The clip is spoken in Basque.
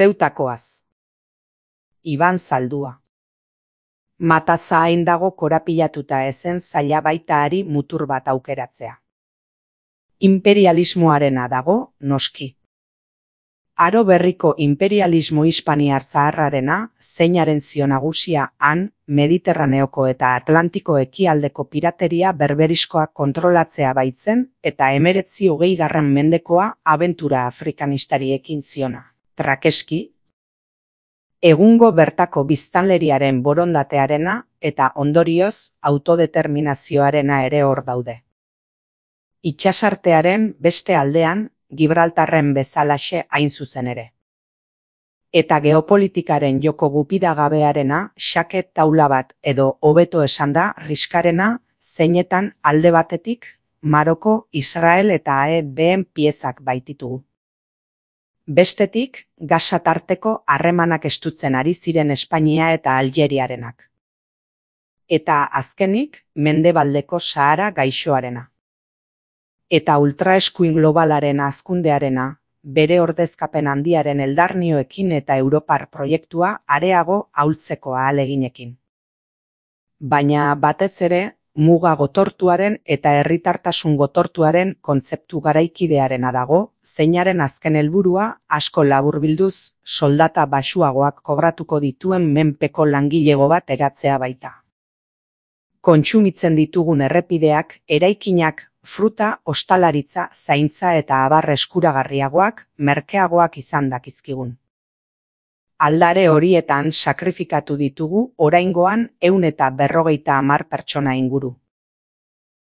Zeutakoaz. Iban Zaldua. Mataza hain dago korapilatuta ezen zaila baita ari mutur bat aukeratzea. Imperialismoarena dago, noski. Aro berriko imperialismo hispaniar zaharrarena, zeinaren zio nagusia han, Mediterraneoko eta Atlantiko ekialdeko pirateria berberiskoak kontrolatzea baitzen eta 19. mendekoa abentura afrikanistari ekin ziona. Trakeski, egungo bertako biztanleriaren borondatearena eta ondorioz autodeterminazioarena ere hor daude. Itsasartearen beste aldean, Gibraltarren bezalaxe hain zuzen ere. Eta geopolitikaren joko gupidagabearena xake taula bat edo hobeto esanda riskarena zeinetan alde batetik Maroko, Israel eta AEBen piezak baititugu. Bestetik, Gaza tarteko harremanak estutzen ari ziren Espainia eta Aljeriarenak. Eta azkenik, mendebaldeko Sahara gaixoarena. Eta ultraeskuin globalaren hazkundearena, bere ordezkapen handiaren eldarnioekin eta Europar proiektua areago ahultzeko ahaleginekin. Baina batez ere, muga gotortuaren eta herritartasun gotortuaren kontzeptu garaikidearena dago, zeinaren azken helburua asko laburbilduz soldata baxuagoak kobratuko dituen menpeko langilego bat eratzea baita. Kontsumitzen ditugun errepideak, eraikinak, fruta, ostalaritza, zaintza eta abar eskuragarriagoak, merkeagoak izan dakizkigun. Aldare horietan sakrifikatu ditugu oraingoan 150 pertsona inguru.